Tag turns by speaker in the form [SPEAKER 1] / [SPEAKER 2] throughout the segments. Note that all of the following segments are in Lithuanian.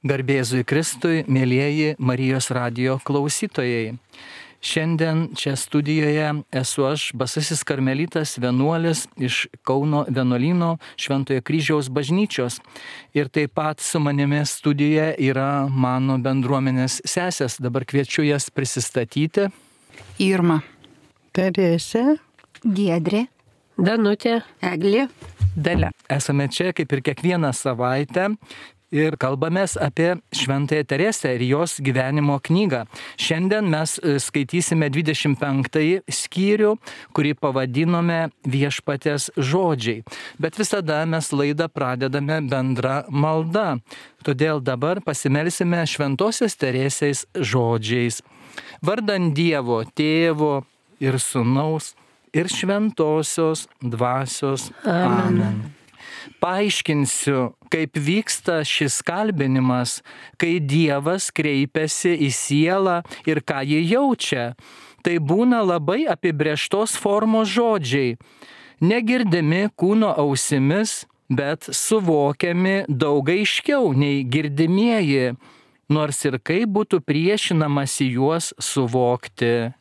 [SPEAKER 1] Garbė Jėzui Kristui, mėlyjeji Marijos radijo klausytojai. Šiandien čia studijoje esu aš, basasis karmelitas vienuolis iš Kauno vienuolyno Šventojo Kryžiaus bažnyčios. Ir taip pat su manimi studijoje yra mano bendruomenės sesės. Dabar kviečiu jas prisistatyti.
[SPEAKER 2] Irma.
[SPEAKER 3] Teresė.
[SPEAKER 4] Giedrė.
[SPEAKER 5] Danutė.
[SPEAKER 4] Eglė.
[SPEAKER 1] Dalia. Esame čia kaip ir kiekvieną savaitę. Ir kalbamės apie Šventąją Teresę ir jos gyvenimo knygą. Šiandien mes skaitysime 25 skyrių, kurį pavadinome Viešpaties žodžiai. Bet visada mes laidą pradedame bendra malda. Todėl dabar pasimelsime Šventosios Teresės žodžiais. Vardan Dievo, Tėvo ir Sūnaus ir Šventosios Dvasios. Amen. Paaiškinsiu, kaip vyksta šis kalbinimas, kai Dievas kreipiasi į sielą ir ką ji jaučia. Tai būna labai apibrėžtos formos žodžiai, negirdimi kūno ausimis, bet suvokiami daug aiškiau nei girdimieji, nors ir kaip būtų priešinamasi juos suvokti.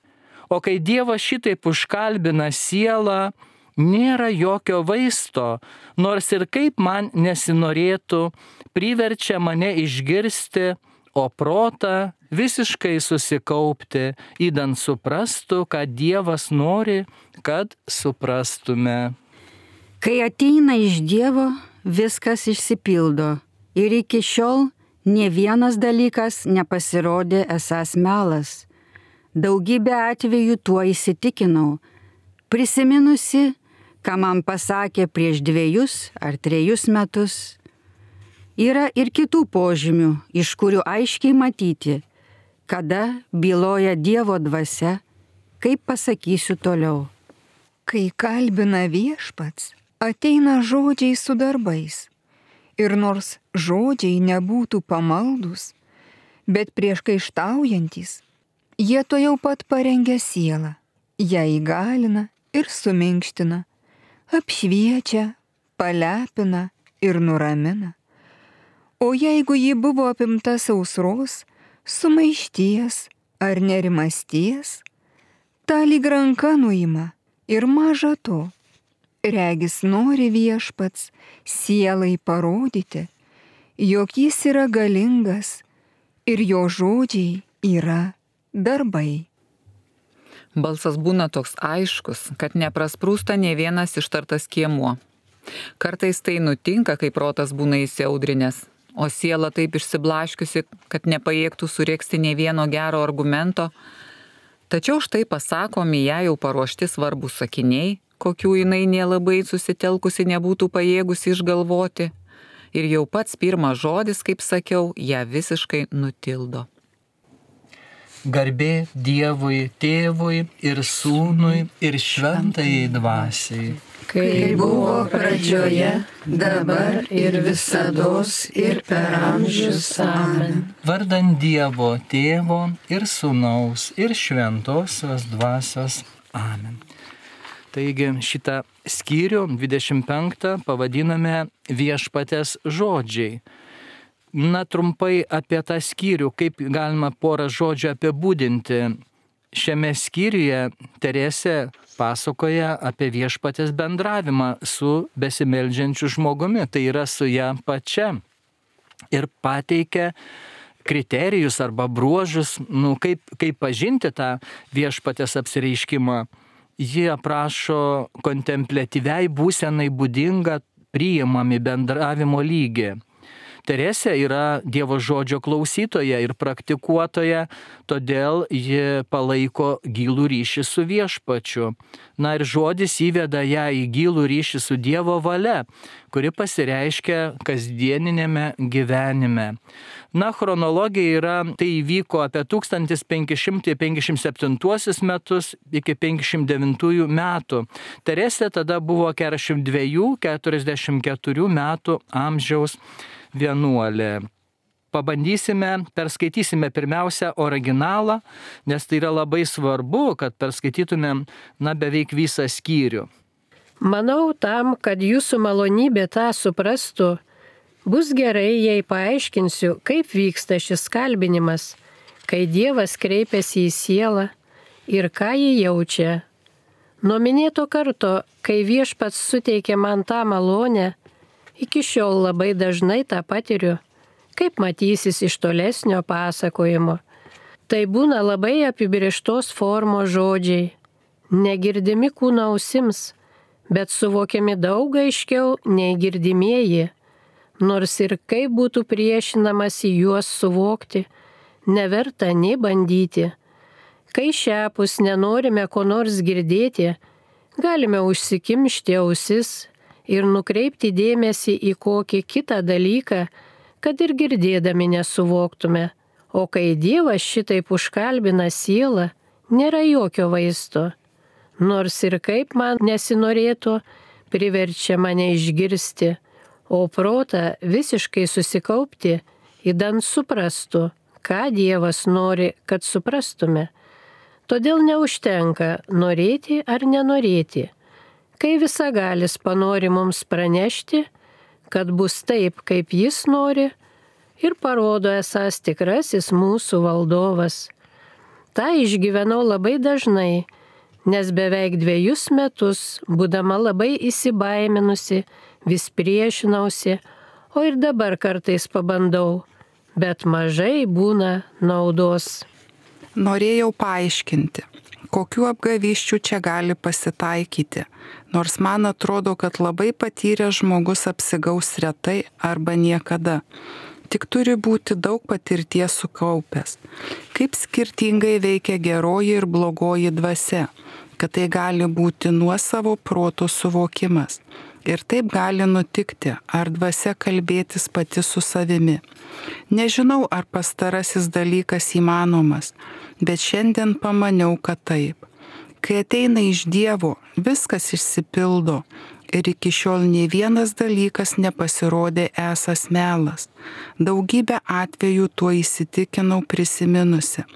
[SPEAKER 1] O kai Dievas šitaip užkalbina sielą, nėra jokio vaisto, nors ir kaip man nesinorėtų, priverčia mane išgirsti, o protą visiškai susikaupti, idant suprastų, kad Dievas nori, kad suprastume.
[SPEAKER 4] Kai ateina iš Dievo, viskas išsipildo. Ir iki šiol nė vienas dalykas nepasirodė esąs melas. Daugybę atvejų tuo įsitikinau, prisiminusi, ką man pasakė prieš 2 ar 3 metus. Yra ir kitų požymių, iš kurių aiškiai matyti, kada byloja Dievo dvasia, kaip pasakysiu toliau.
[SPEAKER 6] Kai kalbina Viešpats, ateina žodžiai su darbais. Ir nors žodžiai nebūtų pamaldus, bet prieškaištaujantis, jie to jau pat parengia sielą, ją įgalina ir suminkština, apšviečia, palepina ir nuramina. O jeigu ji buvo apimta sausros, sumaišties ar nerimasties, tą lyg ranka nuima ir maža to. Regis nori Viešpats sielai parodyti, jog jis yra galingas ir jo žodžiai yra darbai.
[SPEAKER 2] Balsas būna toks aiškus, kad neprasprūsta nė vienas ištartas skiemuo. Kartais tai nutinka, kai protas būna įsiaudrinęs, o siela taip išsiblaškiusi, kad nepajėgtų suregzti nė vieno gero argumento. Tačiau štai pasakomi ją jau paruošti svarbūs sakiniai, kokių jinai nelabai susitelkusi nebūtų pajėgusi išgalvoti. Ir jau pats pirmas žodis, kaip sakiau, ją visiškai nutildo.
[SPEAKER 1] Garbė Dievui, Tėvui ir Sūnui ir Šventajai Dvasiai.
[SPEAKER 5] Kai buvo pradžioje, dabar ir visados ir per amžius. Amen.
[SPEAKER 1] Vardan Dievo, Tėvo ir Sūnaus ir Šventosios Dvasios. Amen. Taigi šitą skyrių 25 pavadiname Viešpaties žodžiai. Na, trumpai apie tą skyrių, kaip galima porą žodžių apibūdinti. Šiame skyriuje Teresė pasakoja apie Viešpaties bendravimą su besimeldžiančiu žmogumi, tai yra su ją pačia. Ir pateikia kriterijus arba bruožus, kaip pažinti tą Viešpaties apsireiškimą. Ji aprašo kontempliatyviai būsenai būdingą priimami bendravimo lygį. Teresė yra Dievo žodžio klausytoja ir praktikuotoja, todėl ji palaiko gilų ryšį su Viešpačiu. Na ir žodis įveda ją į gilų ryšį su Dievo valia, kuri pasireiškia kasdieninėme gyvenime. Na, chronologija yra, tai įvyko apie 1557 metus iki 509 metų. Teresė tada buvo 42-44 metų amžiaus vienuolė. Perskaitysime pirmiausia originalą, nes tai yra labai svarbu, kad perskaitytumėm beveik visą skyrių.
[SPEAKER 5] Manau tam, kad jūsų malonybė tą suprastų, Bus gerai, jei paaiškinsiu, kaip vyksta šis kalbinimas, kai Dievas kreipiasi į sielą ir ką ji jaučia. Nuo minėto karto, kai Viešpats suteikė man tą malonę, iki šiol labai dažnai tą patiriu, kaip matysis iš tolesnio pasakojimo. Tai būna labai apibrėžtos formos žodžiai, negirdimi kūno ausims, bet suvokiami daug aiškiau nei girdimieji, nors ir kaip būtų priešinamasi juos suvokti, neverta nei bandyti. Kai šiapus nenorime ko nors girdėti, galime užsikimšti ausis ir nukreipti dėmesį į kokį kitą dalyką, kad ir girdėdami nesuvoktume. O kai Dievas šitaip užkalbina sielą, nėra jokio vaisto. Nors ir kaip man nesinorėtų, priverčia mane išgirsti, o protą visiškai susikaupti, idant suprastų, ką Dievas nori, kad suprastume. Todėl neužtenka norėti ar nenorėti. Kai Visagalis panori mums pranešti, kad bus taip, kaip Jis nori, ir parodo esąs tikrasis mūsų valdovas. Ta išgyvenau labai dažnai, nes beveik 2 metus, būdama labai įsibaiminusi, vis priešinausi, o ir dabar kartais pabandau, bet mažai būna naudos.
[SPEAKER 7] Norėjau paaiškinti, kokių apgavysčių čia gali pasitaikyti, nors man atrodo, kad labai patyręs žmogus apsigaus retai arba niekada. Tik turi būti daug patirties sukaupęs. Kaip skirtingai veikia geroji ir blogoji dvasia, kad tai gali būti nuosavo proto suvokimas. Ir taip gali nutikti, ar dvasia kalbėtis pati su savimi. Nežinau, ar pastarasis dalykas įmanomas, bet šiandien pamaniau, kad taip. Kai ateina iš Dievo, viskas išsipildo ir iki šiol nei vienas dalykas nepasirodė esąs melas. Daugybę atvejų tuo įsitikinau prisiminusi.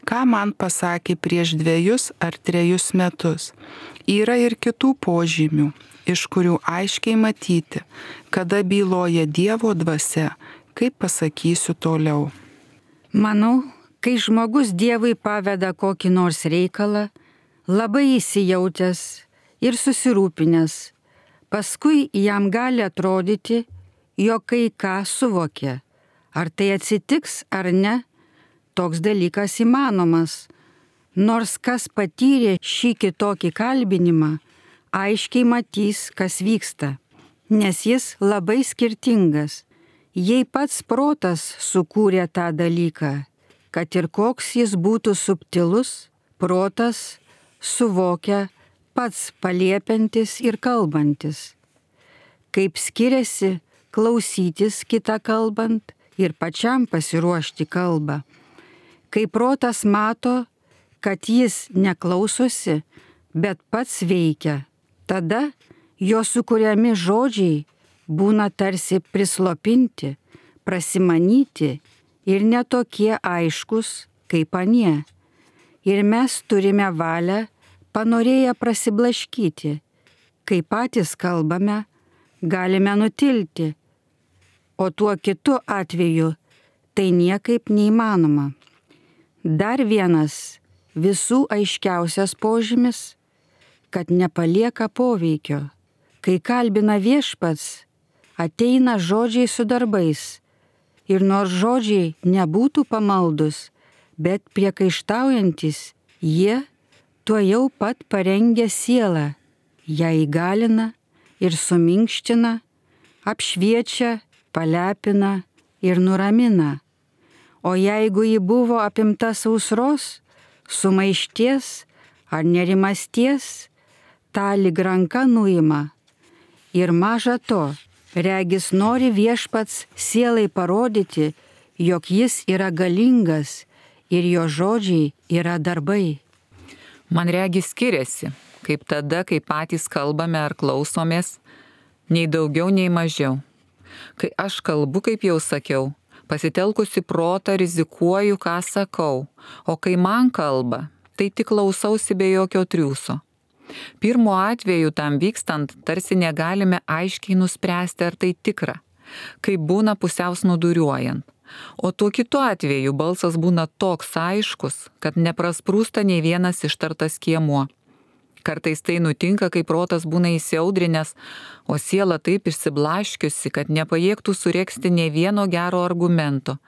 [SPEAKER 7] Ką man pasakė prieš 2 ar 3 metus. Yra ir kitų požymių, iš kurių aiškiai matyti, kada byloja Dievo dvasia, kaip pasakysiu toliau.
[SPEAKER 4] Manau, kai žmogus Dievui paveda kokį nors reikalą, labai įsijautęs ir susirūpinęs, paskui jam gali atrodyti, jog kai ką suvokia. Ar tai atsitiks ar ne, toks dalykas įmanomas. Nors kas patyrė šį kitokį kalbinimą, aiškiai matys, kas vyksta, nes jis labai skirtingas. Jei pats protas sukūrė tą dalyką, kad ir koks jis būtų subtilus, protas suvokia pats paliepiantis ir kalbantis. Kaip skiriasi klausytis kitą kalbant ir pačiam pasiruošti kalbą. Kai protas mato, kad jis neklausosi, bet pats veikia, tada jo sukuriami žodžiai būna tarsi prislopinti, prasimanyti ir netokie aiškus kaip anie. Ir mes turime valią panorėję prasiblaškyti. Kai patys kalbame, galime nutilti, o tuo kitu atveju tai niekaip neįmanoma. Dar vienas visų aiškiausias požymis, kad nepalieka poveikio. Kai kalbina Viešpats, ateina žodžiai su darbais. Ir nors žodžiai nebūtų pamaldus, bet priekaištaujantis, jie tuojau pat parengia sielą, ją įgalina ir suminkština, apšviečia, palepina ir nuramina. O jeigu ji buvo apimta sausros, sumaišties ar nerimasties, tą lyg ranka nuima. Ir maža to, regis nori Viešpats sielai parodyti, jog jis yra galingas ir jo žodžiai yra darbai.
[SPEAKER 2] Man regis skiriasi, kaip tada, kai patys kalbame ar klausomės, nei daugiau, nei mažiau. Kai aš kalbu, kaip jau sakiau, pasitelkusi protą rizikuoju, ką sakau, o kai man kalba, tai tik klausausi be jokio triūso. Pirmu atveju tam vykstant tarsi negalime aiškiai nuspręsti, ar tai tikra. kaip būna pusiau snūduriuojant. O tuo kitu atveju balsas būna toks aiškus, kad neprasprūsta nei vienas ištartas skiemuo. Kartais tai nutinka, kai protas būna įsiaudrinęs, o siela taip išsiblaškiusi, kad nepajėgtų sureksti nei vieno gero argumento.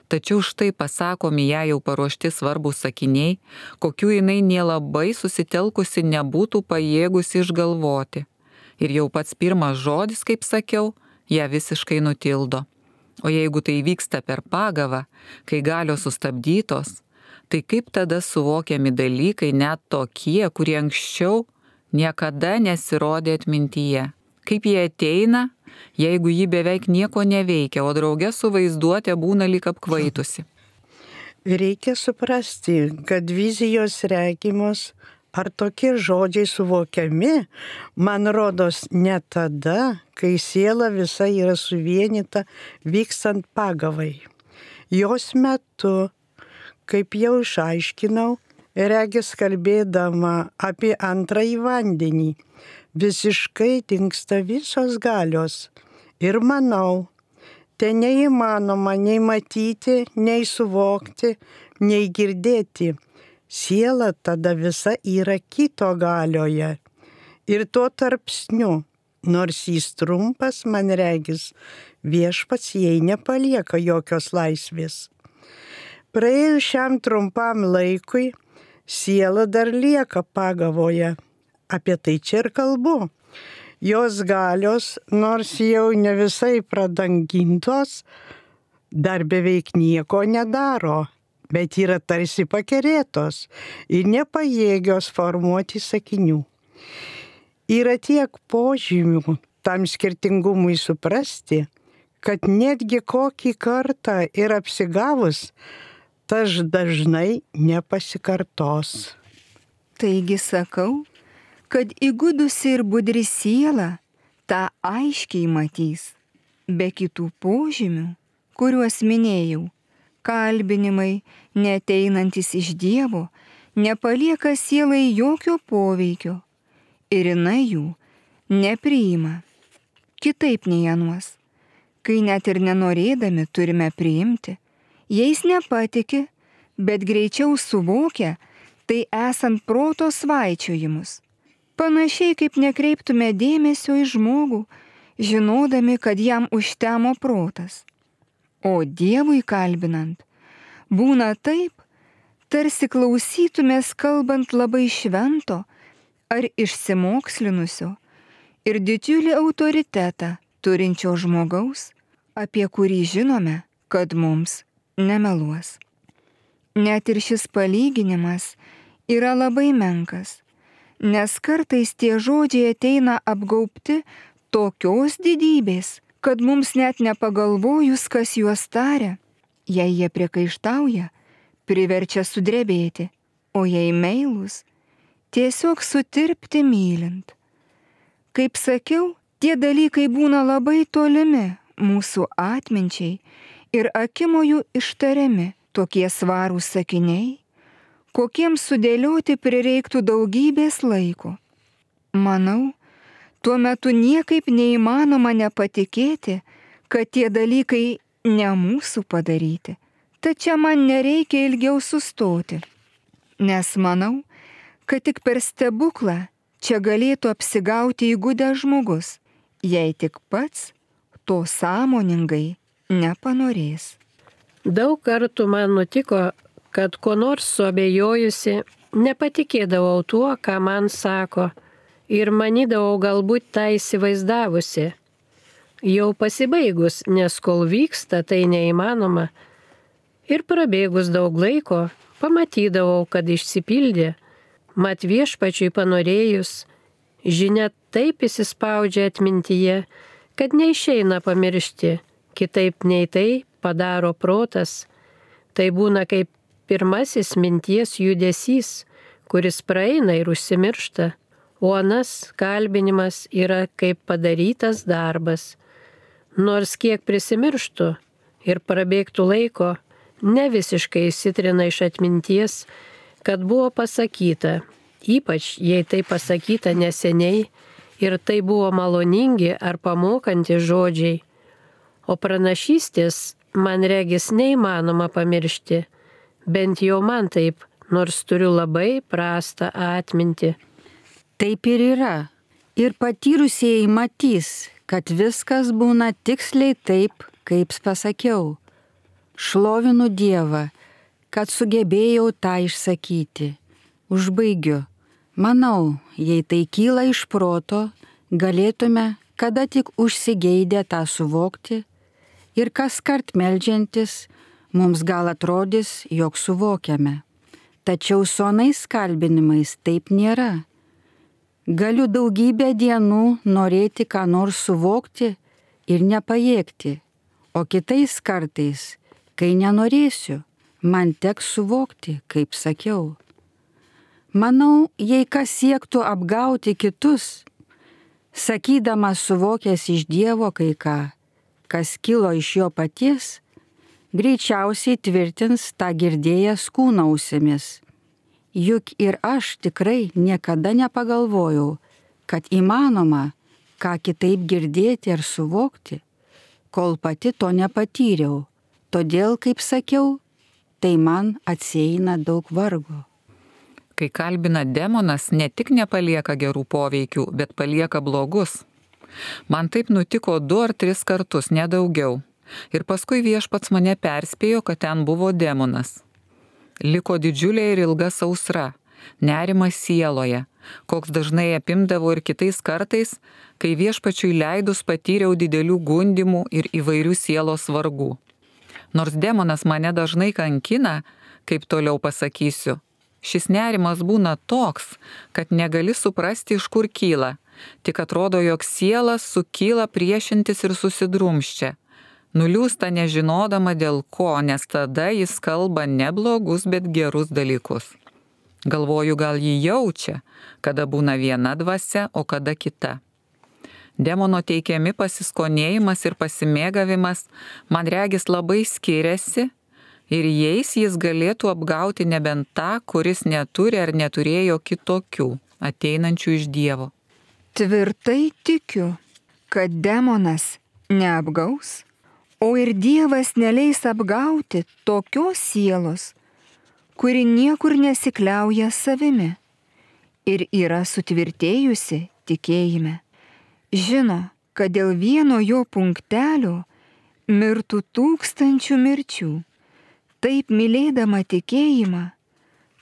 [SPEAKER 2] Tačiau štai pasakomi ją jau paruošti svarbus sakiniai, kokių jinai nelabai susitelkusi nebūtų pajėgusi išgalvoti. Ir jau pats pirmas žodis, kaip sakiau, ją visiškai nutildo. O jeigu tai vyksta per pagavą, kai galios sustabdytos, tai kaip tada suvokiami dalykai net tokie, kurie anksčiau niekada nesirodė atmintyje? Kaip jie ateina, jeigu ji beveik nieko neveikia, o drauge su vaizduotė būna lyg apkvaitusi?
[SPEAKER 3] Reikia suprasti, kad vizijos regimos ar tokie žodžiai suvokiami, man rodos, ne tada, kai siela visa yra suvienyta vykstant pagavai. Jos metu, kaip jau išaiškinau, regis kalbėdama apie antrąjį vandenį, visiškai dingsta visos galios. Ir manau, tai neįmanoma nei matyti, nei suvokti, nei girdėti. Siela tada visa yra kito galioje. Ir tuo tarpsniu, nors jis trumpas, man regis, viešpats jai nepalieka jokios laisvės. Praėjus šiam trumpam laikui, siela dar lieka pagavoje. Apie tai čia ir kalbu. Jos galios, nors jau ne visai pradangintos, dar beveik nieko nedaro, bet yra tarsi pakerėtos ir nepajėgios formuoti sakinių. Yra tiek požymių tam skirtingumui suprasti, kad netgi kokį kartą ir apsigavus, tas dažnai nepasikartos.
[SPEAKER 6] Taigi sakau, kad įgudusi ir budri siela tą aiškiai matys, be kitų požymių, kuriuos minėjau, kalbinimai, neateinantis iš Dievo, nepalieka sielai jokio poveikio ir jinai jų nepriima. Kitaip nei anuos, kai net ir nenorėdami turime priimti, jais nepatiki, bet greičiau suvokia, tai esant proto svaičiojimus. Panašiai kaip nekreiptume dėmesio į žmogų, žinodami, kad jam užtemo protas. O Dievui kalbinant, būna taip, tarsi klausytumės kalbant labai švento ar išsimokslinusio ir didžiulį autoritetą turinčio žmogaus, apie kurį žinome, kad mums nemeluos. Net ir šis palyginimas yra labai menkas, nes kartais tie žodžiai ateina apgaubti tokios didybės, kad mums net nepagalvojus, kas juos taria, jei jie priekaištauja, priverčia sudrebėti, o jei meilūs, tiesiog sutirpti mylint. Kaip sakiau, tie dalykai būna labai tolimi mūsų atminčiai ir akimojų ištariami tokie svarūs sakiniai, kokiems sudėlioti prireiktų daugybės laiko. Manau, tuo metu niekaip neįmanoma nepatikėti, kad tie dalykai ne mūsų padaryti. Tačiau man nereikia ilgiau sustoti, nes manau, kad tik per stebuklą čia galėtų apsigauti įgudęs žmogus, jei tik pats to sąmoningai nepanorės.
[SPEAKER 5] Daug kartų man nutiko, kad ko nors suabejojusi, nepatikėdavau tuo, ką man sako, ir manydavau galbūt tą įsivaizdavusi. Jau pasibaigus, nes kol vyksta, tai neįmanoma. Ir prabėgus daug laiko, pamatydavau, kad išsipildė. Mat viešpačiui panorėjus, žinia taip įsispaudžia atmintyje, kad neišeina pamiršti, kitaip nei tai padaro protas. Tai būna kaip pirmasis minties judesys, kuris praeina ir užsimiršta, o anas kalbinimas yra kaip padarytas darbas. Nors kiek prisimirštų ir prabėgtų laiko, ne visiškai įsitrina iš atminties, kad buvo pasakyta, ypač jei tai pasakyta neseniai ir tai buvo maloningi ar pamokantys žodžiai. O pranašystės, man regis, neįmanoma pamiršti, bent jau man taip, nors turiu labai prastą atmintį.
[SPEAKER 4] Taip ir yra. Ir patyrusieji matys, kad viskas būna tiksliai taip, kaip pasakiau. Šlovinu Dievą, kad sugebėjau tą išsakyti. Užbaigiu. Manau, jei tai kyla iš proto, galėtume, kada tik užsigeidę tą suvokti, ir kaskart meldžiantis, mums gal atrodys, jog suvokiame. Tačiau su anais kalbinimais taip nėra. Galiu daugybę dienų norėti ką nors suvokti ir nepajėgti, o kitais kartais, kai nenorėsiu, man teks suvokti, kaip sakiau. Manau, jei kas siektų apgauti kitus, sakydamas suvokęs iš Dievo kai ką, kas kilo iš jo paties, greičiausiai tvirtins tą girdėjęs kūno ausimis. Juk ir aš tikrai niekada nepagalvojau, kad įmanoma ką kitaip girdėti ar suvokti, kol pati to nepatyriau. Todėl, kaip sakiau, tai man atsieina daug vargo.
[SPEAKER 2] Kai kalbina demonas, ne tik nepalieka gerų poveikių, bet palieka blogus. Man taip nutiko 2 ar 3 kartus, nedaugiau. Ir paskui viešpats mane perspėjo, kad ten buvo demonas. Liko didžiulė ir ilga sausra, nerimas sieloje, koks dažnai apimdavo ir kitais kartais, kai viešpačiui leidus patyriau didelių gundimų ir įvairių sielos vargų. Nors demonas mane dažnai kankina, kaip toliau pasakysiu, šis nerimas būna toks, kad negali suprasti, iš kur kyla, tik atrodo, jog siela sukyla priešintis ir susidrumščia. Nuliūsta nežinodama dėl ko, nes tada jis kalba ne blogus, bet gerus dalykus. Galvoju, gal jį jaučia, kada būna viena dvasia, o kada kita. Demono teikiami pasiskonėjimas ir pasimėgavimas, man regis, labai skiriasi ir jais jis galėtų apgauti nebent tą, kuris neturi ar neturėjo kitokių, ateinančių iš Dievo.
[SPEAKER 6] Tvirtai tikiu, kad demonas neapgaus, o ir Dievas neleis apgauti tokios sielos, kuri niekur nesikliauja savimi ir yra sutvirtėjusi tikėjime. Žino, kad dėl vieno jo punktelio mirtų 1000 mirčių. Taip mylėdama tikėjimą,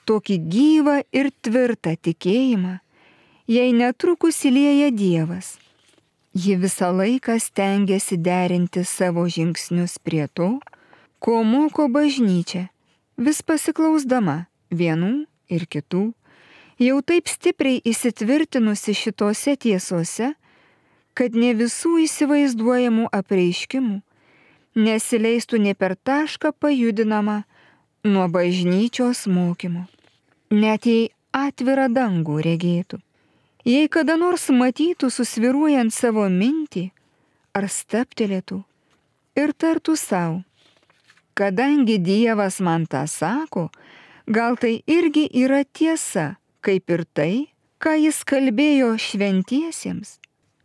[SPEAKER 6] tokį gyvą ir tvirtą tikėjimą, jei netrukus įlieja Dievas. Ji visą laiką stengiasi derinti savo žingsnius prie to, ko moko bažnyčia, vis pasiklausdama vienų ir kitų, jau taip stipriai įsitvirtinusi šitose tiesose, kad ne visų įsivaizduojamų apreiškimų nesileistų ne per tašką pajudinama nuo bažnyčios mokymo, net jei atvirą dangų regėtų. Jei kada nors matytų susviruojant savo mintį, ar staptelėtų ir tartų savo, kadangi Dievas man tą sako, gal tai irgi yra tiesa, kaip ir tai, ką jis kalbėjo šventiesiems.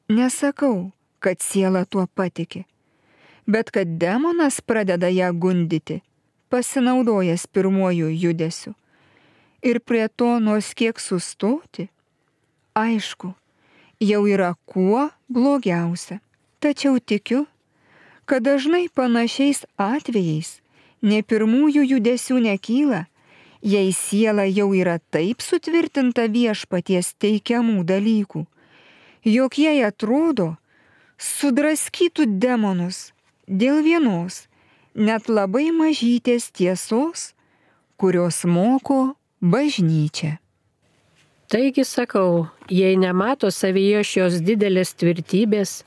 [SPEAKER 6] Nesakau, kad siela tuo patiki, bet kad demonas pradeda ją gundyti, pasinaudojęs pirmuoju judesiu, ir prie to nors kiek sustoti, aišku, jau yra kuo blogiausia. Tačiau tikiu, kad dažnai panašiais atvejais ne pirmųjų judesių nekyla, jei siela jau yra taip sutvirtinta viešpaties teikiamų dalykų, jog jai atrodo, sudraskytų demonus dėl vienos, net labai mažytės tiesos, kurios moko bažnyčia.
[SPEAKER 5] Taigi sakau, jei nemato savyje šios didelės tvirtybės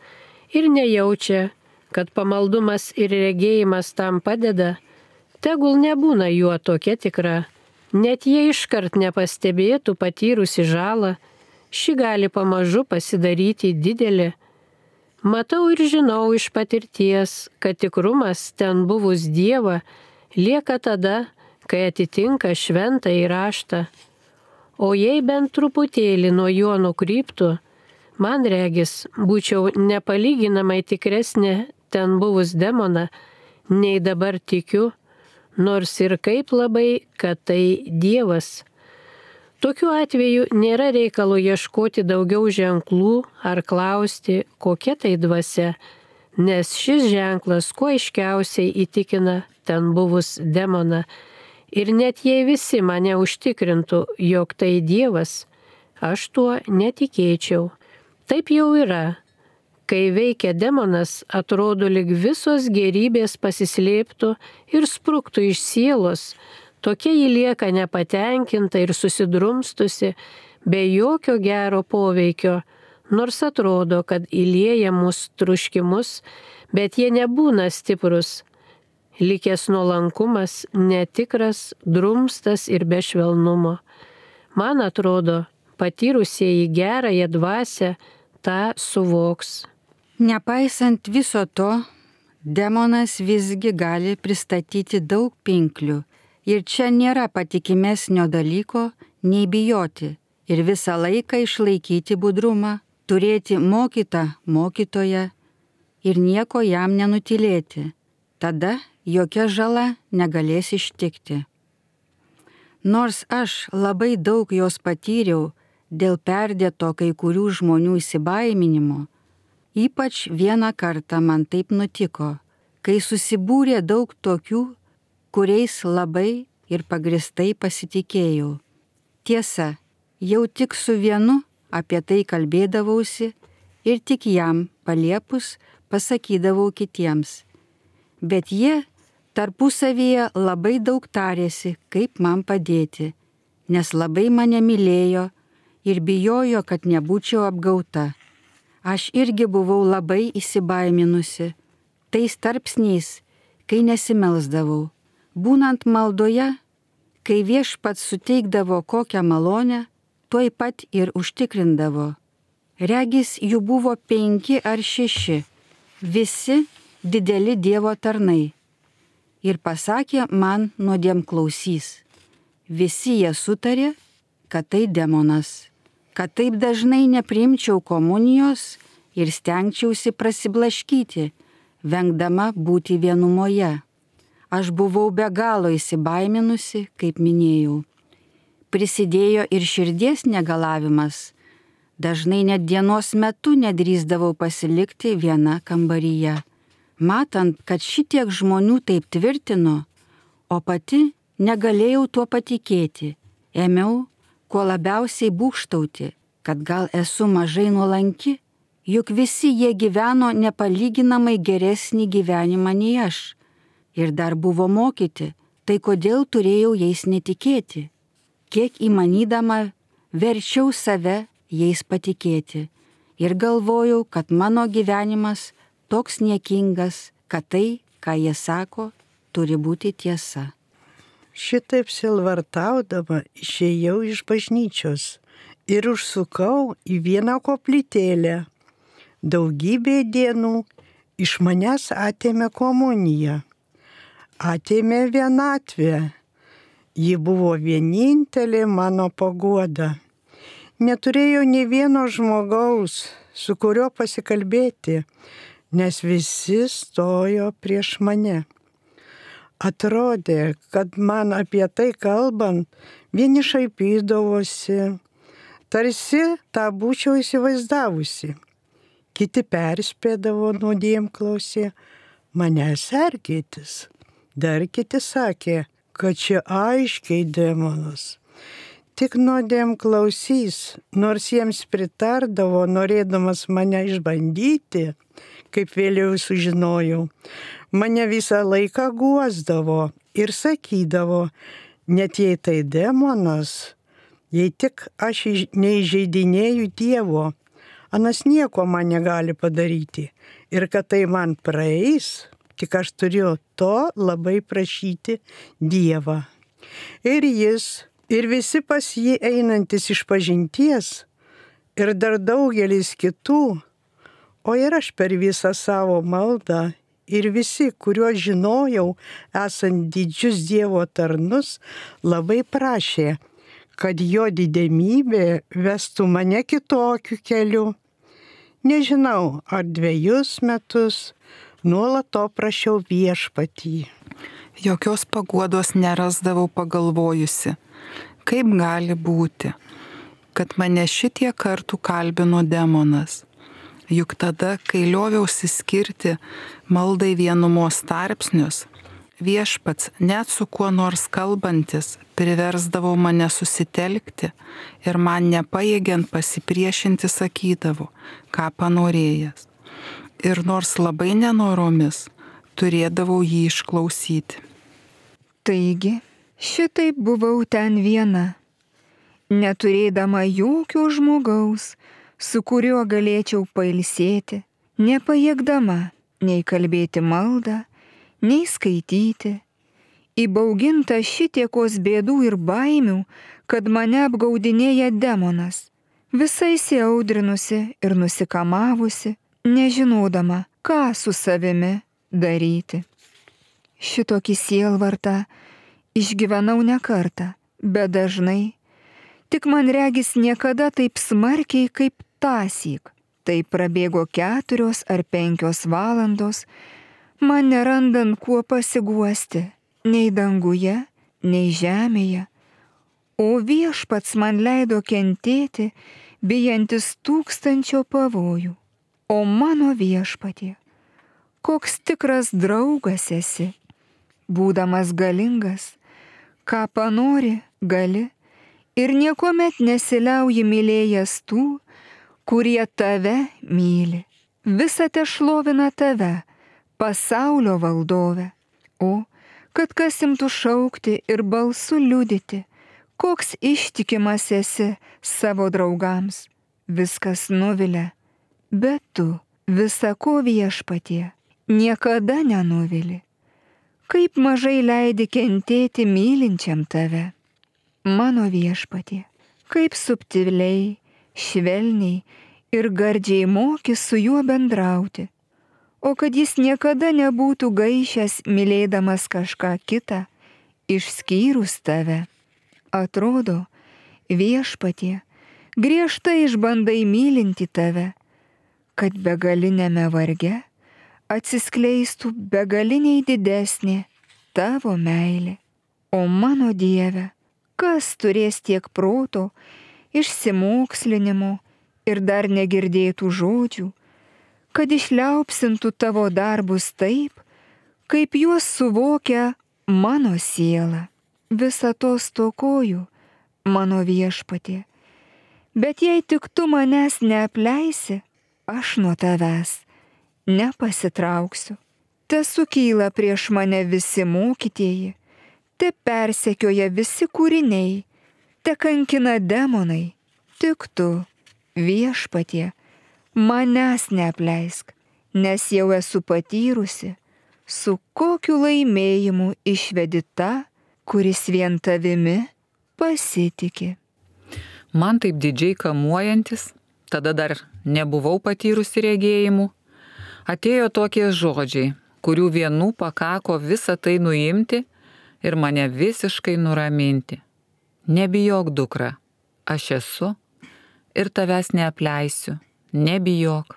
[SPEAKER 5] ir nejaučia, kad pamaldumas ir regėjimas tam padeda, tegul nebūna juo tokia tikra, net jei iškart nepastebėtų patyrusi žalą, ši gali pamažu pasidaryti didelė. Matau ir žinau iš patirties, kad tikrumas ten buvus Dievą lieka tada, kai atitinka šventąjį raštą. O jei bent truputėlį nuo jo nukryptų, man regis, būčiau nepalyginamai tikresnė ten buvus demoną, nei dabar tikiu, nors ir kaip labai, kad tai Dievas. Tokiu atveju nėra reikalo ieškoti daugiau ženklų ar klausti, kokia tai dvasia, nes šis ženklas kuo aiškiausiai įtikina ten buvus demoną. Ir net jei visi mane užtikrintų, jog tai Dievas, aš tuo netikėčiau. Taip jau yra. Kai veikia demonas, atrodo, lyg visos gerybės pasislėptų ir spruktų iš sielos, tokia ji lieka nepatenkinta ir susidrumstusi, be jokio gero poveikio, nors atrodo, kad įlieja mūsų truškimus, bet jie nebūna stiprus. Likęs nuolankumas, netikras, drumstas ir be švelnumo. Man atrodo, patyrusieji gerąją dvasią tą suvoks.
[SPEAKER 4] Nepaisant viso to, demonas visgi gali pristatyti daug pinklių ir čia nėra patikimesnio dalyko nei bijoti ir visą laiką išlaikyti budrumą, turėti mokytoją ir nieko jam nenutylėti. Tada jokia žala negalės ištikti. Nors aš labai daug jos patyriau dėl perdėto kai kurių žmonių įsibaiminimo, ypač vieną kartą man taip nutiko, kai susibūrė daug tokių, kuriais labai ir pagristai pasitikėjau. Tiesa, jau tik su vienu apie tai kalbėdavausi ir tik jam paliepus pasakydavau kitiems. Bet jie tarpusavyje labai daug tarėsi, kaip man padėti, nes labai mane mylėjo ir bijojo, kad nebūčiau apgauta. Aš irgi buvau labai įsibaiminusi, tais tarpsniais, kai nesimelsdavau. Būnant maldoje, kai Viešpats suteikdavo kokią malonę, tuoj pat ir užtikrindavo. Regis jų buvo 5 ar 6, visi dideli Dievo tarnai. Ir pasakė man nuodėmklausys. Visi jie sutarė, kad tai demonas. Kad taip dažnai nepriimčiau komunijos ir stengčiausi prasiblaškyti, vengdama būti vienumoje. Aš buvau be galo įsibaiminusi, kaip minėjau. Prisidėjo ir širdies negalavimas. Dažnai net dienos metu nedrįsdavau pasilikti viena kambaryje. Matant, kad šitiek žmonių taip tvirtino, o pati negalėjau tuo patikėti, ėmiau kuo labiausiai būgštauti, kad gal esu mažai nuolanki, juk visi jie gyveno nepalyginamai geresnį gyvenimą nei aš. Ir dar buvo mokyti, tai kodėl turėjau jais netikėti? Kiek įmanydama verčiau save jais patikėti. Ir galvojau, kad mano gyvenimas toks niekingas, kad tai, ką jie sako, turi būti tiesa.
[SPEAKER 3] Šitaip silvartaudama išėjau iš bažnyčios ir užsukau į vieną koplytėlę. Daugybė dienų iš manęs atėmė komuniją, atėmė vienatvę. Ji buvo vienintelė mano paguoda. Neturėjau nė vieno žmogaus, su kuriuo pasikalbėti, nes visi stojo prieš mane. Atrodė, kad man apie tai kalbant, vieni šaipydavosi, tarsi tą būčiau įsivaizdavusi. Kiti perspėdavo nuodėmklausį, mane sergėtis. Dar kiti sakė, kad čia aiškiai demonas. Tik nuodėmklausys, nors jiems pritardavo, norėdamas mane išbandyti, kaip vėliau sužinojau, mane visą laiką guosdavo ir sakydavo, net jei tai demonas, jei tik aš neįžeidinėju Dievo, anas nieko man negali padaryti ir kad tai man praeis, tik aš turiu to labai prašyti Dievą. Ir jis, ir visi pas jį einantis išpažinties, ir dar daugelis kitų, o ir aš per visą savo maldą, ir visi, kuriuos žinojau, esant didžius Dievo tarnus, labai prašė, kad jo didemybė vestų mane kitokiu keliu. Nežinau, ar 2 metus, nuolat to prašiau Viešpatį.
[SPEAKER 7] Jokios paguodos nerasdavau pagalvojusi, kaip gali būti, kad mane šitie kartų kalbino demonas. Juk tada, kai lioviausi skirti maldai vienumos tarpsnius, Viešpats net su kuo nors kalbantis priversdavo mane susitelkti ir man nepajėgiant pasipriešinti sakydavo, ką panorėjęs. Ir nors labai nenoromis, turėdavau jį išklausyti.
[SPEAKER 6] Taigi, šitaip buvau ten viena, neturėdama jokio žmogaus, su kuriuo galėčiau pailsėti, nepajėgdama nei kalbėti maldą, nei skaityti, įbauginta šitiekos bėdų ir baimių, kad mane apgaudinėja demonas, visai įsiaudrinusi ir nusikamavusi, nežinodama, ką su savimi daryti. Šitokį sielvartą išgyvenau ne kartą, bet dažnai, tik man regis niekada taip smarkiai kaip tąsyk. Tai prabėgo 4 ar 5 valandos, man nerandant kuo pasiguosti, nei danguje, nei žemėje, o Viešpats man leido kentėti, bijantis 1000 pavojų. O mano Viešpatie, koks tikras draugas esi, būdamas galingas, ką panori, gali, ir niekuomet nesiliauji mylėjęs tų, kurie tave myli. Visa te šlovina tave, pasaulio valdove. O, kad kas imtų šaukti ir balsu liudyti, koks ištikimas esi savo draugams. Viskas nuvilia, bet tu, visako Viešpatie, niekada nenuvili. Kaip mažai leidi kentėti mylinčiam tave. Mano Viešpatie, kaip subtiliai, švelniai ir gardžiai moki su juo bendrauti. O kad jis niekada nebūtų gaišęs mylėdamas kažką kitą, išskyrus tave. Atrodo, Viešpatie, griežtai išbandai mylinti tave, kad begalinėme varge atsiskleistų begaliniai didesnė tavo meilė. O mano Dieve, kas turės tiek proto, išsimokslinimo ir dar negirdėtų žodžių, kad išliaupsintų tavo darbus taip, kaip juos suvokia mano siela. Visa to stokoju, mano Viešpatie. Bet jei tik tu manęs neapleisi, aš nuo tavęs nepasitrauksiu. Te sukyla prieš mane visi mokytieji, te persekioja visi kūriniai, te kankina demonai. Tik tu, Viešpatie, manęs neapleisk, nes jau esu patyrusi, su kokiu laimėjimu išvedi tą, kuris vien tavimi pasitiki.
[SPEAKER 2] Man taip didžiai kamuojantis, tada dar nebuvau patyrusi regėjimų, atėjo tokie žodžiai, kurių vienų pakako visą tai nuimti ir mane visiškai nuraminti. Nebijok, dukra, aš esu ir tavęs neapleisiu. Nebijok.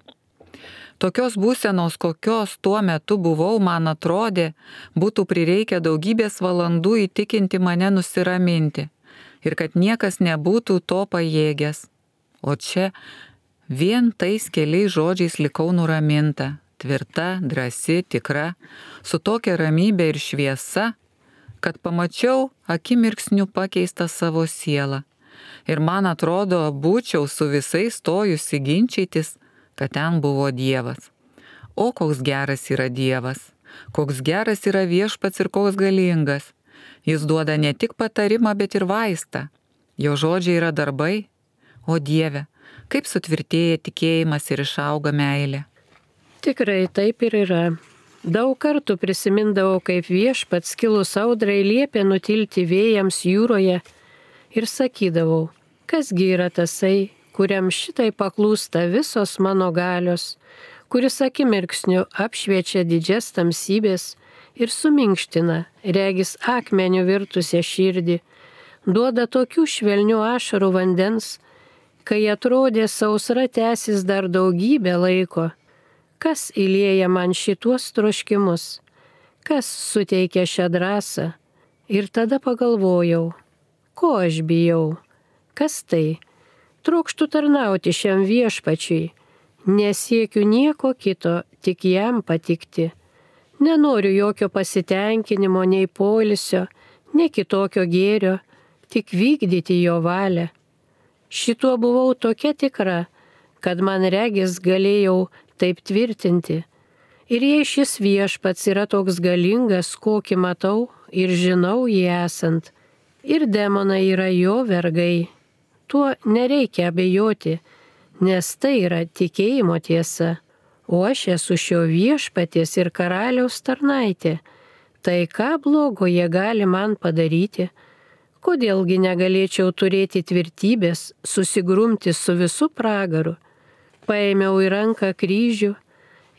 [SPEAKER 2] Tokios būsenos, kokios tuo metu buvau, man atrodė, būtų prireikę daugybės valandų įtikinti mane nusiraminti ir kad niekas nebūtų to pajėgęs. O čia vien tais keliais žodžiais likau nuraminta, tvirta, drąsi, tikra, su tokia ramybė ir šviesa, kad pamačiau akimirksniu pakeistą savo sielą. Ir man atrodo, būčiau su visais stojusi ginčytis, kad ten buvo Dievas. O koks geras yra Dievas, koks geras yra Viešpats ir koks galingas. Jis duoda ne tik patarimą, bet ir vaistą. Jo žodžiai yra darbai. O Dieve, kaip sutvirtėja tikėjimas ir išauga meilė.
[SPEAKER 5] Tikrai taip ir yra. Daug kartų prisimindavau, kaip Viešpats kilus audrai liepė nutilti vėjams jūroje ir sakydavau, kasgi yra tasai, kuriam šitai paklūsta visos mano galios, kuris akimirksniu apšviečia didžias tamsybės ir suminkština, regis akmenių virtusią širdį, duoda tokių švelnių ašarų vandens, kai atrodė sausra tęsis dar daugybę laiko, Kas įlieja man šituos troškimus? Kas suteikia šią drąsą? Ir tada pagalvojau, ko aš bijau? Kas tai? Trokštu tarnauti šiam viešpačiui. Nesiekiu nieko kito, tik jam patikti. Nenoriu jokio pasitenkinimo, nei poilsio, nei kitokio gėrio, tik vykdyti jo valią. Šituo buvau tokia tikra, kad man regis galėjau taip tvirtinti. Ir jei šis viešpats yra toks galingas, kokį matau ir žinau jį esant, ir demonai yra jo vergai, tuo nereikia abejoti, nes tai yra tikėjimo tiesa, o aš esu šio viešpaties ir karaliaus tarnaitė. Tai ką blogo jie gali man padaryti? Kodėlgi negalėčiau turėti tvirtybės, susigrumti su visu pragaru? Paėmiau į ranką kryžių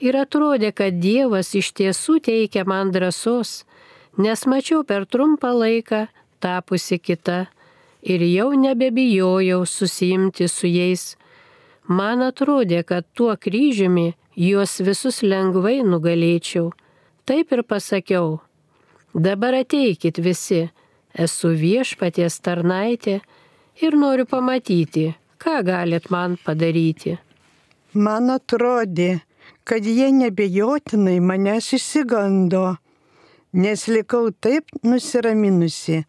[SPEAKER 5] ir atrodė, kad Dievas iš tiesų teikia man drąsos, nes mačiau per trumpą laiką tapusi kita ir jau nebebijojau susiimti su jais. Man atrodė, kad tuo kryžiumi juos visus lengvai nugalėčiau. Taip ir pasakiau, dabar ateikit visi, esu viešpaties tarnaitė ir noriu pamatyti, ką galit man padaryti.
[SPEAKER 3] Man atrodė, kad jie nebejotinai manęs išsigando, nes likau taip nusiraminusi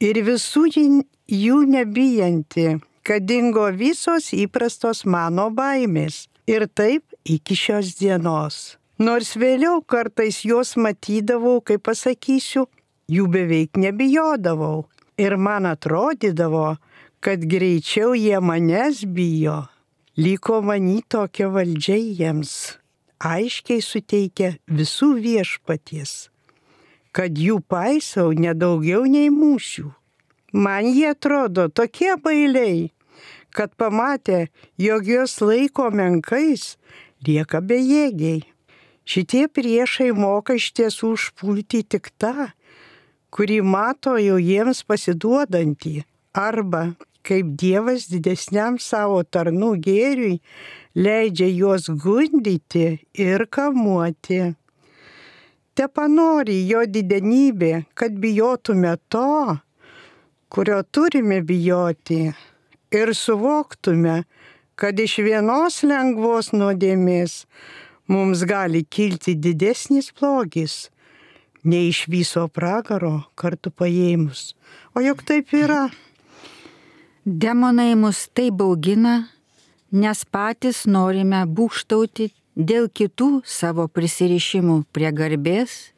[SPEAKER 3] ir visų jų nebijanti, kad dingo visos įprastos mano baimės. Ir taip iki šios dienos. Nors vėliau kartais juos matydavau, kaip pasakysiu, jų beveik nebijodavau. Ir man atrodydavo, kad greičiau jie manęs bijo. Liko many tokia valdžia jiems. Aiškiai suteikia visų viešpaties, kad jų paisau nedaugiau nei mūšių. Man jie atrodo tokie bailiai, kad pamatę, jog juos laiko menkais, lieka bejėgiai. Šitie priešai moka iš tiesų užpulti tik tą, kurį mato jau jiems pasiduodantį, arba kaip Dievas didesniam savo tarnų gėriui leidžia juos gundyti ir kamuoti. Tepanori jo didenybė, kad bijotume to, kurio turime bijoti, ir suvoktume, kad iš vienos lengvos nuodėmės mums gali kilti didesnis blogis, nei iš viso pragaro kartu paėmus. O juk taip yra.
[SPEAKER 4] Demonai mus taip baugina, nes patys norime būgštauti dėl kitų savo prisirišimų prie garbės,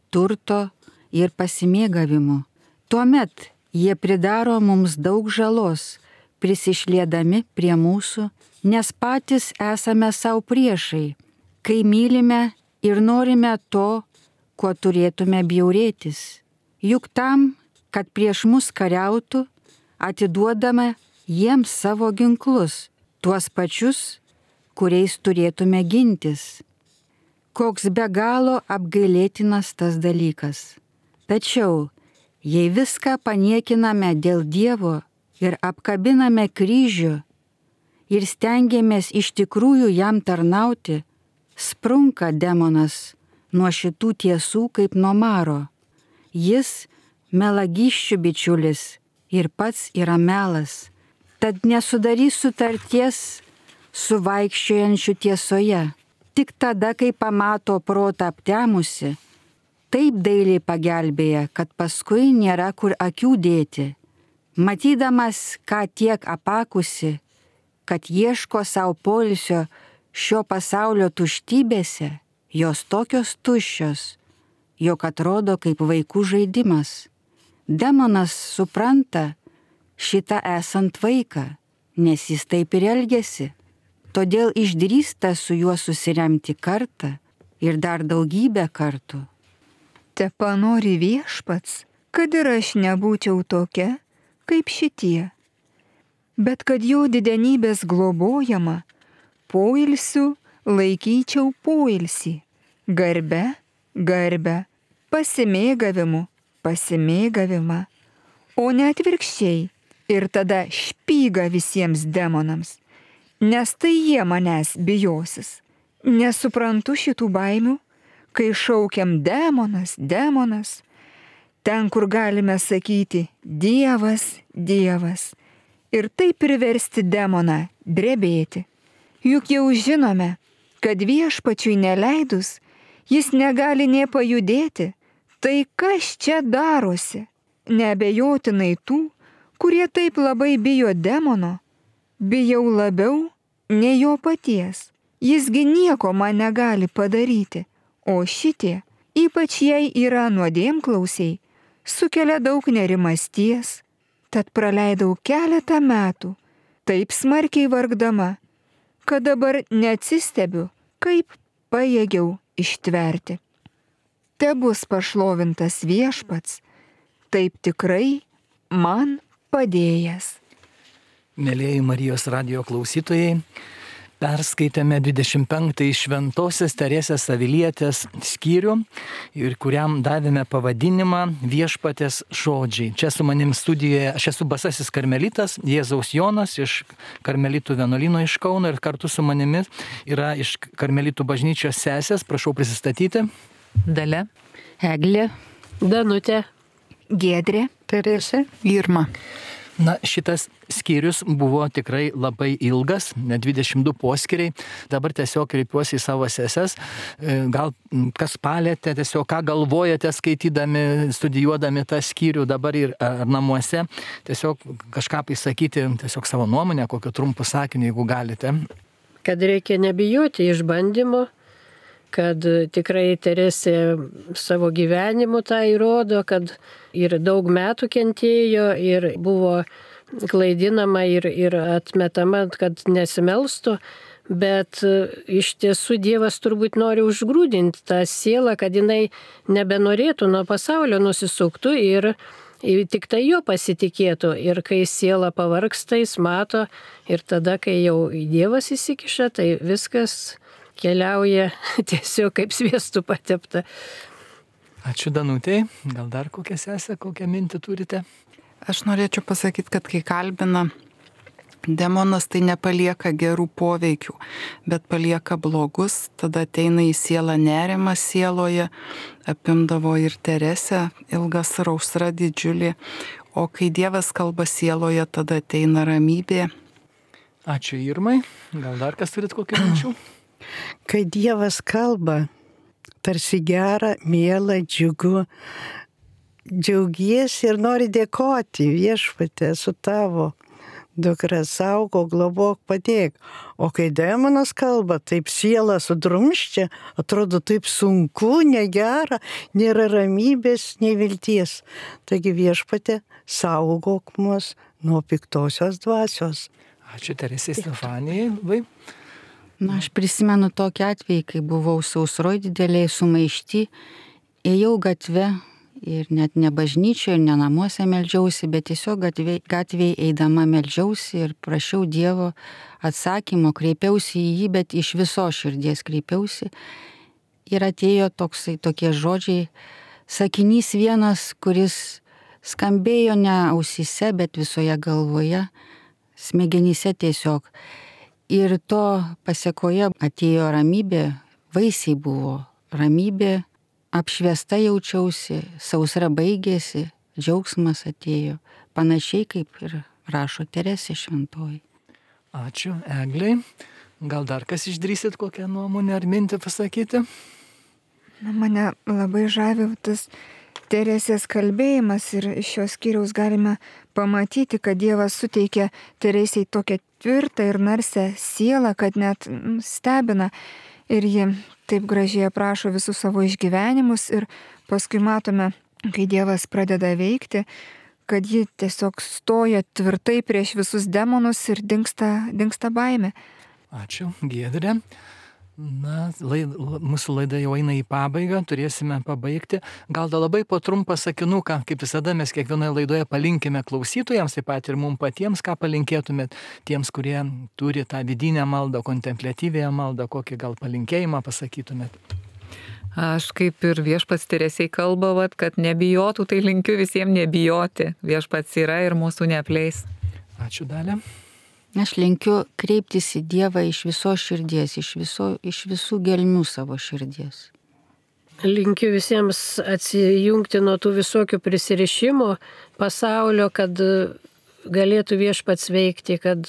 [SPEAKER 4] turto ir pasimėgavimų. Tuomet jie pridaro mums daug žalos, prisišliedami prie mūsų, nes patys esame savo priešai, kai mylime ir norime to, kuo turėtume bjaurėtis. Juk tam, kad prieš mus kariautų, atiduodame jiems savo ginklus, tuos pačius, kuriais turėtume gintis. Koks be galo apgailėtinas tas dalykas. Tačiau, jei viską paniekiname dėl Dievo ir apkabiname kryžių ir stengiamės iš tikrųjų jam tarnauti, sprunka demonas nuo šitų tiesų kaip nuo maro. Jis melagysčių bičiulis ir pats yra melas, tad nesudarys sutarties su vaikščiojančiu tiesoje. Tik tada, kai pamato protą aptemusi, taip dailiai pagelbėja, kad paskui nėra kur akių dėti. Matydamas, ką tiek apakusi, kad ieško savo poilsio šio pasaulio tuštybėse, jos tokios tuščios, jog atrodo kaip vaikų žaidimas. Demonas supranta šitą esant vaiką, nes jis taip ir elgiasi, todėl išdrįsta su juo susiremti kartą ir dar daugybę kartų.
[SPEAKER 6] Tepanori viešpats, kad ir aš nebūčiau tokia, kaip šitie, bet kad jo didenybės globojama, poilsiu laikyčiau poilsį, garbe, garbę, pasimėgavimu, pasimėgavimą, o ne atvirkščiai ir tada špygą visiems demonams, nes tai jie manęs bijosis, Nesuprantu šitų baimių, kai šaukiam demonas, demonas. Ten, kur galime sakyti Dievas, Dievas. Ir taip priversti demoną drebėti. Juk jau žinome, kad Viešpačiui neleidus, jis negali nė pajudėti. Tai kas čia darosi? Neabejotinai tų, kurie taip labai bijo demono, bijau labiau nei jo paties. Jisgi nieko man negali padaryti, o šitie, ypač jei yra nuodėmklausiai, sukelia daug nerimasties, tad praleidau keletą metų, taip smarkiai vargdama, kad dabar neatsistebiu, kaip pajėgiau ištverti. Tebus pašlovintas Viešpats, taip tikrai man padėjęs.
[SPEAKER 1] Mėlieji Marijos radijo klausytojai, perskaitėme 25 Šventosios Teresės Avilietės skyrių, ir kuriam davėme pavadinimą Viešpatės žodžiai. Čia su manim studijoje, aš esu Basasis karmelitas, Jėzaus Jonas iš Karmelitų vienuolyno iš Kauno, ir kartu su manimi yra iš Karmelitų bažnyčios sesės, prašau prisistatyti.
[SPEAKER 2] Dalia.
[SPEAKER 5] Eglė. Danutė.
[SPEAKER 6] Giedrė.
[SPEAKER 3] Teresė.
[SPEAKER 7] Irma.
[SPEAKER 1] Na, šitas skyrius buvo tikrai labai ilgas, net 22 poskyriai. Dabar tiesiog kreipiuosi į savo seses. Gal kas palėtė, tiesiog ką galvojate skaitydami, studijuodami tą skyrių dabar ir namuose. Tiesiog kažką pasakyti, tiesiog savo nuomonę, kokio trumpų sakinį, jeigu galite.
[SPEAKER 5] Kad reikia nebijoti išbandymo, kad tikrai Teresė savo gyvenimu tą įrodo, kad ir daug metų kentėjo ir buvo klaidinama ir atmetama, kad nesimelstų, bet iš tiesų Dievas turbūt nori užgrūdinti tą sielą, kad jinai nebenorėtų nuo pasaulio nusisuktų ir tik tai jo pasitikėtų. Ir kai siela pavargsta, jis mato, ir tada, kai jau Dievas įsikiša, tai viskas keliauja tiesiog kaip sviestu patepta.
[SPEAKER 1] Ačiū Danutei. Gal dar kokią sesę, kokią mintį turite?
[SPEAKER 7] Aš norėčiau pasakyti, kad kai kalbina demonas, tai nepalieka gerų poveikių, bet palieka blogus, tada ateina į sielą nerimas sieloje, apimdavo ir Teresę, ilgas rausra didžiulė, o kai Dievas kalba sieloje, tada ateina ramybė.
[SPEAKER 1] Ačiū Irmai. Gal dar kas turit kokių minčių?
[SPEAKER 3] Kai Dievas kalba, tarsi gera, miela, džiugu, džiaugiesi ir nori dėkoti Viešpatie, su tavo dukra, saugo, globok, padėk. O kai demonas kalba, taip siela sudrumščia, atrodo taip sunku, negera, nėra ramybės, nei vilties. Taigi Viešpatie, saugok mus nuo piktosios dvasios.
[SPEAKER 1] Ačiū Teresei Stefanijai.
[SPEAKER 4] Na, aš prisimenu tokį atvejį, kai buvau sausroj dideliai sumaišti, ėjau gatve ir net ne bažnyčioje, ne namuose meldžiausi, bet tiesiog gatvėje eidama meldžiausi ir prašiau Dievo atsakymo, kreipiausi į jį, bet iš viso širdies kreipiausi. Ir atėjo tokie žodžiai, sakinys vienas, kuris skambėjo ne ausyse, bet visoje galvoje, smegenyse tiesiog. Ir to pasiekoje atėjo ramybė, vaisiai buvo ramybė, apšviesta jaučiausi, sausra baigėsi, džiaugsmas atėjo, panašiai kaip ir rašo Teresė šventoji.
[SPEAKER 1] Ačiū Egliai. Gal dar kas išdrįsit kokią nuomonę ar mintį pasakyti?
[SPEAKER 6] Na, mane labai žavi tas Teresės kalbėjimas ir iš šios skyriaus galime pamatyti, kad Dievas suteikė Teresei tokią tvirtą ir narsę sielą, kad net stebina. Ir ji taip gražiai aprašo visus savo išgyvenimus ir paskui matome, kai Dievas pradeda veikti, kad ji tiesiog stoja tvirtai prieš visus demonus ir dingsta baimė.
[SPEAKER 1] Ačiū, Giedrė. Na, mūsų laida jau eina į pabaigą, turėsime pabaigti. Gal dar labai po trumpą sakinuką, kaip visada mes kiekvienoje laidoje palinkime klausytojams, taip pat ir mums patiems, ką palinkėtumėt tiems, kurie turi tą vidinę maldą, kontempliatyvėją maldą, kokį gal palinkėjimą pasakytumėt.
[SPEAKER 2] Aš kaip ir Viešpats Teresei kalba, kad nebijotų, tai linkiu visiems nebijoti. Viešpats yra ir mūsų neapleis.
[SPEAKER 1] Ačiū Dalia.
[SPEAKER 4] Aš linkiu kreiptis į Dievą iš visos širdies, iš visų gelmių savo širdies.
[SPEAKER 5] Linkiu visiems atsijungti nuo tų visokių prisirišimų pasaulio, kad galėtų Viešpats veikti, kad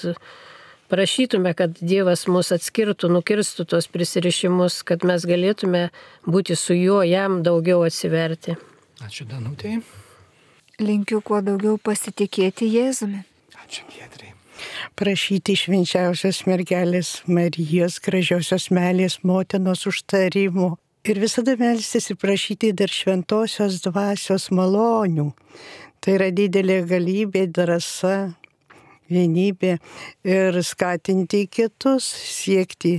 [SPEAKER 5] prašytume, kad Dievas mus atskirtų, nukirstų tos prisirišimus, kad mes galėtume būti su juo, jam daugiau atsiverti.
[SPEAKER 1] Ačiū, Danutei.
[SPEAKER 6] Linkiu kuo daugiau pasitikėti Jėzumi.
[SPEAKER 1] Ačiū, Giedrei.
[SPEAKER 3] Prašyti švenčiausios mergelės Marijos, gražiosios meilės motinos užtarimo. Ir visada melstis ir prašyti dar šventosios dvasios malonių. Tai yra didelė galybė, drąsa, vienybė ir skatinti kitus siekti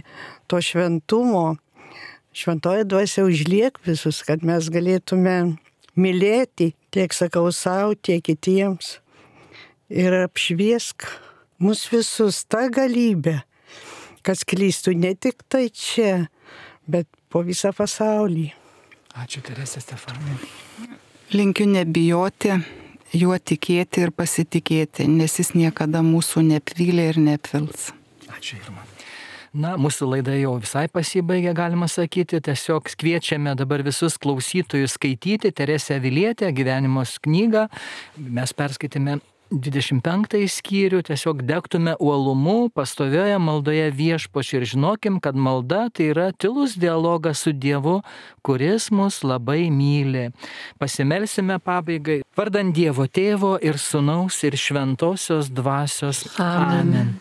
[SPEAKER 3] to šventumo. Šventoji dvasia užliek visus, kad mes galėtume mylėti, tiek sakau savo, tiek kitiems. Ir apšviesk mus visus tą galybę, kad sklistų ne tik tai čia, bet po visą pasaulį.
[SPEAKER 1] Ačiū, Teresė Stefanai.
[SPEAKER 7] Linkiu nebijoti, juo tikėti ir pasitikėti, nes jis niekada mūsų neapvylė ir neapvils.
[SPEAKER 1] Ačiū, Irma. Na, mūsų laida jau visai pasibaigė, galima sakyti. Tiesiog kviečiame dabar visus klausytojus skaityti Teresę Avilietę gyvenimos knygą. Mes perskaitėme 25 skyrių, tiesiog degtume uolumu, pastovioje maldoje Viešpačiui ir žinokim, kad malda tai yra tylus dialogas su Dievu, kuris mus labai myli. Pasimelsime pabaigai. Vardan Dievo Tėvo ir Sūnaus ir Šventosios Dvasios. Amen.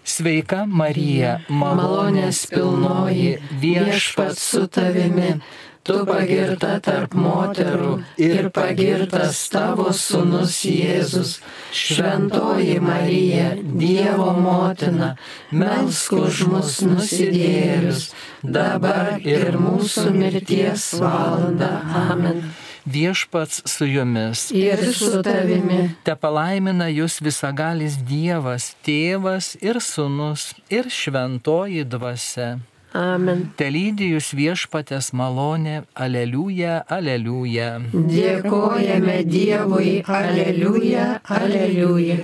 [SPEAKER 1] Sveika Marija, malonės pilnoji, Viešpats su tavimi. Tu pagirta tarp moterų ir pagirtas tavo sūnus Jėzus. Šventoji Marija, Dievo motina, melsk už mus nusidėjėlius, dabar ir mūsų mirties valanda. Amen. Viešpats su jumis.
[SPEAKER 5] Ir su tavimi.
[SPEAKER 1] Tepalaimina jūs visagalis Dievas, Tėvas ir Sūnus ir Šventoji Dvasia.
[SPEAKER 5] Amen.
[SPEAKER 1] Telydi jūs Viešpatės malonė, aleliuja, aleliuja.
[SPEAKER 5] Dėkojame Dievui, aleliuja, aleliuja.